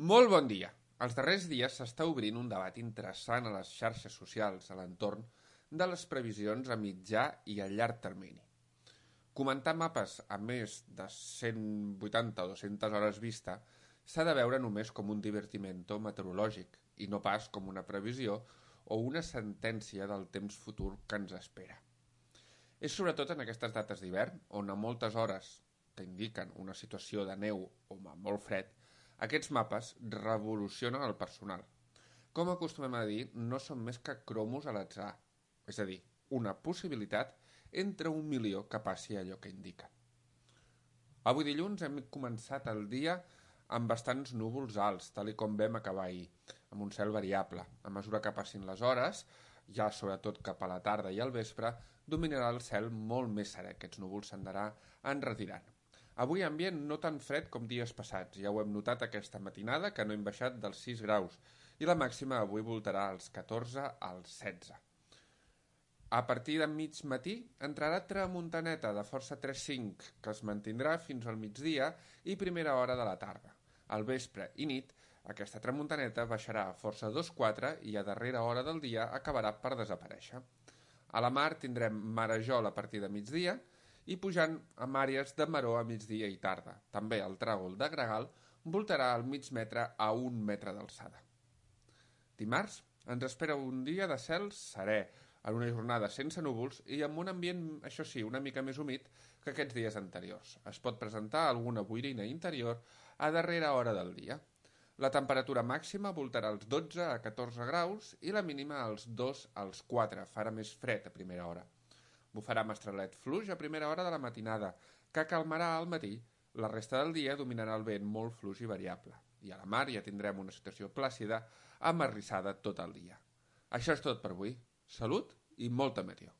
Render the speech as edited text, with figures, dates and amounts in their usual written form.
Molt bon dia! Els darrers dies s'està obrint un debat interessant a les xarxes socials a l'entorn de les previsions a mitjà i a llarg termini. Comentar mapes a més de 180 o 200 hores vista s'ha de veure només com un divertimento meteorològic i no pas com una previsió o una sentència del temps futur que ens espera. És sobretot en aquestes dates d'hivern, on a moltes hores que indiquen una situació de neu o molt fred, aquests mapes revolucionen el personal. Com acostumem a dir, no són més que cromos a l'atzar, és a dir, una possibilitat entre 1.000.000 que passi allò que indiquen. Avui dilluns hem començat el dia amb bastants núvols alts, tal com vam acabar ahir, amb un cel variable. A mesura que passin les hores, ja sobretot cap a la tarda i al vespre, dominarà el cel molt més serè. Aquests núvols s'anarà enretirant. Avui ambient no tan fred com dies passats, ja ho hem notat aquesta matinada que no hem baixat dels 6 graus i la màxima avui voltarà als 14 als 16. A partir de mig matí entrarà tramuntaneta de força 3-5 que es mantindrà fins al migdia i primera hora de la tarda. Al vespre i nit aquesta tramuntaneta baixarà a força 2-4 i a darrera hora del dia acabarà per desaparèixer. A la mar tindrem marejol a partir de migdia i pujant amb àrees de maror a migdia i tarda. També el tràgol de gregal voltarà al mig metre a 1 metre d'alçada. Dimarts ens espera un dia de cel serè, en una jornada sense núvols i amb un ambient, això sí, una mica més humit que aquests dies anteriors. Es pot presentar alguna boirina interior a darrera hora del dia. La temperatura màxima voltarà als 12 a 14 graus i la mínima als 2 als 4, farà més fred a primera hora. Bufarà mestralet fluix a primera hora de la matinada, que calmarà al matí. La resta del dia dominarà el vent molt fluix i variable. I a la mar ja tindrem una situació plàcida, amarrissada tot el dia. Això és tot per avui. Salut i molta meteo.